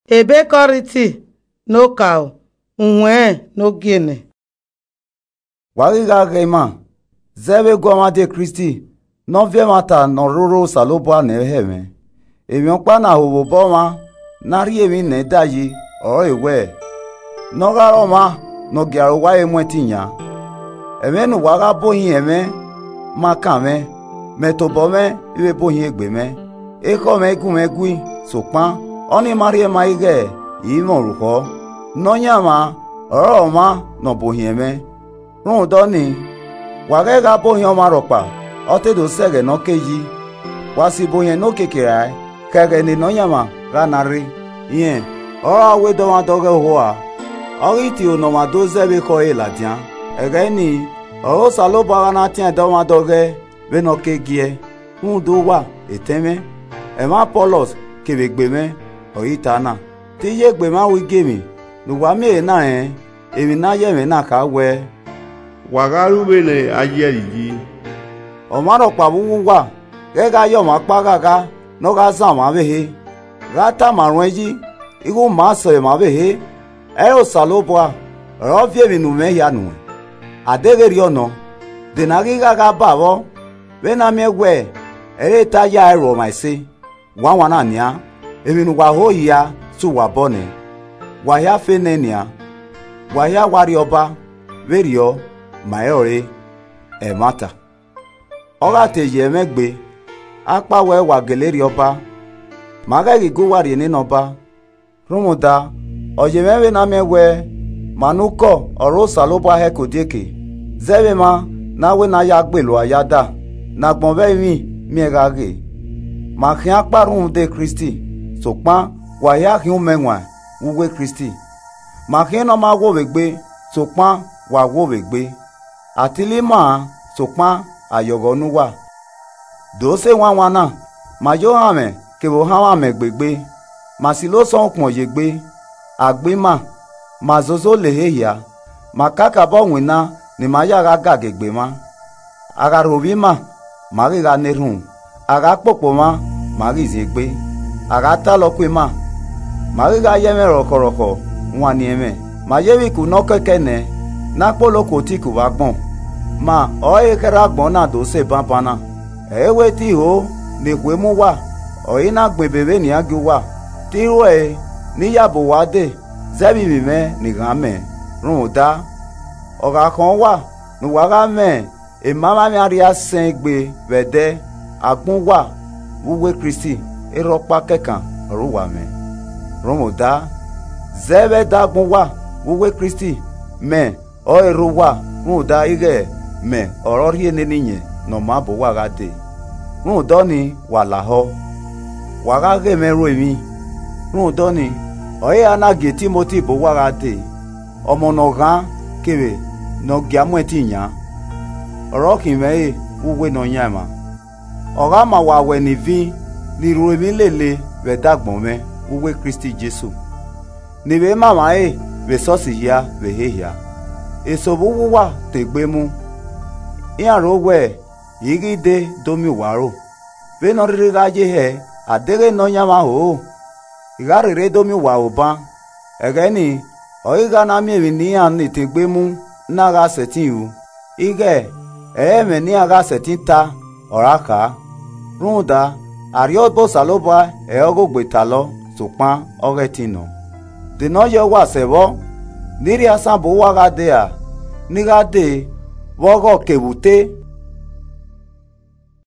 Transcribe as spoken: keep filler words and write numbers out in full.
Ebe Kọriti ne okaro, uwẹnrẹn ne ogienẹ. Wa ghi gha ghẹ ima, zẹ vbe guọmwa die Kristi, ne ọ viọ ẹmwata ne ọ roro Osanobua nẹ hẹ mwẹ. Emwi ọkpa ne a ho vbe obọ mwa, ne a rhie emwi nẹ da yi, ọrọre wẹẹ, ne ọ gha re ọmwa ne ọ gia aro owa ẹre mu ẹtin yan. Ẹmwẹ ne uwa gha bohin ẹmwẹ ma kan mwẹ, mẹ tobọ mwẹ i vbe bohin egbe mwẹ. Ekhọe mwẹ i gu mwẹ gui, sokpan ọnii ma rhie ma ighẹ i i mwẹ orukhọ. Nọyaẹnmwa ọrọre ọmwa ne ọ bohin ẹmwẹ. Rhunmwuda ọnii, wa ghẹ gha bohin ọmwa rhọkpa, ọ te do sẹ ẹghẹ ne ọ ke yi. Wa si ibohiẹn ne okiekie rae, khẹ ẹghẹ ne Nọyaẹnmwa gha na rre. Rẹn ọre a wẹ dọmwadẹ ọghẹ ohua, ọ ghi tie unu ne ọmwa do zẹ vbe ekhọe ẹre ladian. Ẹghẹ nii, ọre Osanobua gha na tian dọmwadẹ ọghẹ vbene ọ ke giẹ. Rhunmwuda uwa, etẹn mwẹ, ẹmwẹ Apọlọs kevbe egbe mwẹ ọre I ta na. Te I ye egbe mwa ru igiemwi ne uwa miẹn ehe na rẹn, emwi ne a ye ẹmwẹ na kha wẹẹ, wa gha ru vbene a ye ẹre yi. Ọmwa rhọkpa vbe uwu uwa ghẹ gha ye ọmwa ọkpa ghagha ne ọ gha zan ọmwa ọvbehe, gha tama ruẹn yi, ighe u ma sẹ ọmwa ọvbehe. Ẹre Osanobua ọre ọ viọ emwi ne u mwẹ hia nuẹn. A deghẹ erriọ nọ, de ne a ghi gha gha ba vbọ, vbene a miẹn wẹẹ, ẹre ta ya ẹe ru ọmwa ẹse. Wanwanna nian, emwi ne uwa ho hia sẹ uwa obọ nẹ, wa hia fe nẹ nian, wa hia wa rrie Ọba, vberriọ, ma rẹn ọre, ẹmwata. Ọ gha te ye ẹmwẹ gbe, a kpa wẹẹ wa gele rrie Ọba, ma ghẹ ghi gu uwa rrie nene Ọba. Rhunmwuda, ọ ye mwẹ vbene a miẹn wẹẹ, ma ne ukọ ọre Osanobua hẹ ke odieke, zẹ vbe emwa ne a wẹ ne a ya gbe lua ya da, ne agbọn vbe ẹrinmwi miẹn gha ghe. Ma khian kpa rhunmwuda Kristi, sokpan wa hia khian umẹwaẹn vbe uwu Kristi. Ma khian ne ọ ma wo vbe egbe, sokpan wa wo vbe egbe. A tili ma-an, sokpan a yọghọ ne uwa. Do sẹ wanwanna, ma ye ohanmwẹ kevbe ohanmwẹ amẹ gbe egbe, ma silo osọn ukpọn ye egbe, a gbe ima, ma zozo le ehe hia, ma kakabọ winna ne ima ya gha ga gie egbe mwa. A gha rhovbiẹ ima, ma ghi gha na erhunmwu, a gha kpokpo mwa, ma ghi zin egbe, a gha talọ ku ima, ma ghi gha ye ẹmwẹ rọkhọrọkhọ wanniẹn mwẹ, ma ye vbe iku ne ọ kẹkẹ nẹ, ne a kpolo ku otiku vbe agbọn. Ma ọre khẹrhẹ agbọn na do sẹ banbanna. Ẹ i wẹ te I ho ne ekhue mu uwa, ọre I na gbẹn ebe vbe nian gie uwa, te I ruẹe ne I ya bu uwa dee zẹ vbe ivbi mwẹ ne I gha mẹ. Rhunmwuda, ọ gha khọn uwa ne uwa gha mwẹ emamwaemwi arria sẹn egbe vbe ẹdẹ, agbọn uwa vbe uwu Kristi, erha ọkpa kẹkan ọre uwa mwẹ. Rhunmwuda, zẹ vbe ẹdẹ agbọn uwa vbe uwu Kristi, mẹ ọre erha uwa, rhunmwuda ighẹ mẹ ọre ọ rhie nene Iyẹn Ne ọ maa bu uwa gha dee. Rhunmwuda ọnii, wa lahọ, wa gha ghe mwẹ ru emwi. Rhunmwuda ọnii, ọre I ra na gie Timoti bu uwa gha dee, ọmọ ne ọ ghan kevbe ne ọ gia mu ẹtin yan, ọre ọ khin mwẹ ẹre vbe uwu Nọyaẹnmwa. Ọ gha ma uwa wẹ ne ivin ni ru emwi lele vbe ẹdẹ agbọn mwẹ vbe uwu Kristi Jesu, ne I vbe ma emwa ẹre vbe esọsi hia vbe ehe hia. Eso vbe uwu uwa tọn egbe mu, iran ro wẹ I ghi dee do miẹn uwa aro. Vbene ọ rhirhi gha ye hẹ, a deghẹ Nọyaẹnmwa ho, I gha rherhe do miẹn uwa aro ban. Ẹghẹ nii, ọ ghi gha na miẹn emwi ne iran ni tọn egbe mu na gha sẹtin ru, ighẹ ẹ i re ẹmwẹ ne iran gha sẹtin ta ọre a kha. Rhunmwuda, arriọba Osanobua ẹre ọghe ogbe talọ, sokpan ọghe ẹtin nọ. De ne ọ yẹ uwa sẹ vbọ, ne I rhie asan bu uwa gha dee ra, ne I gha dee vbe ọghọ kevbe ute,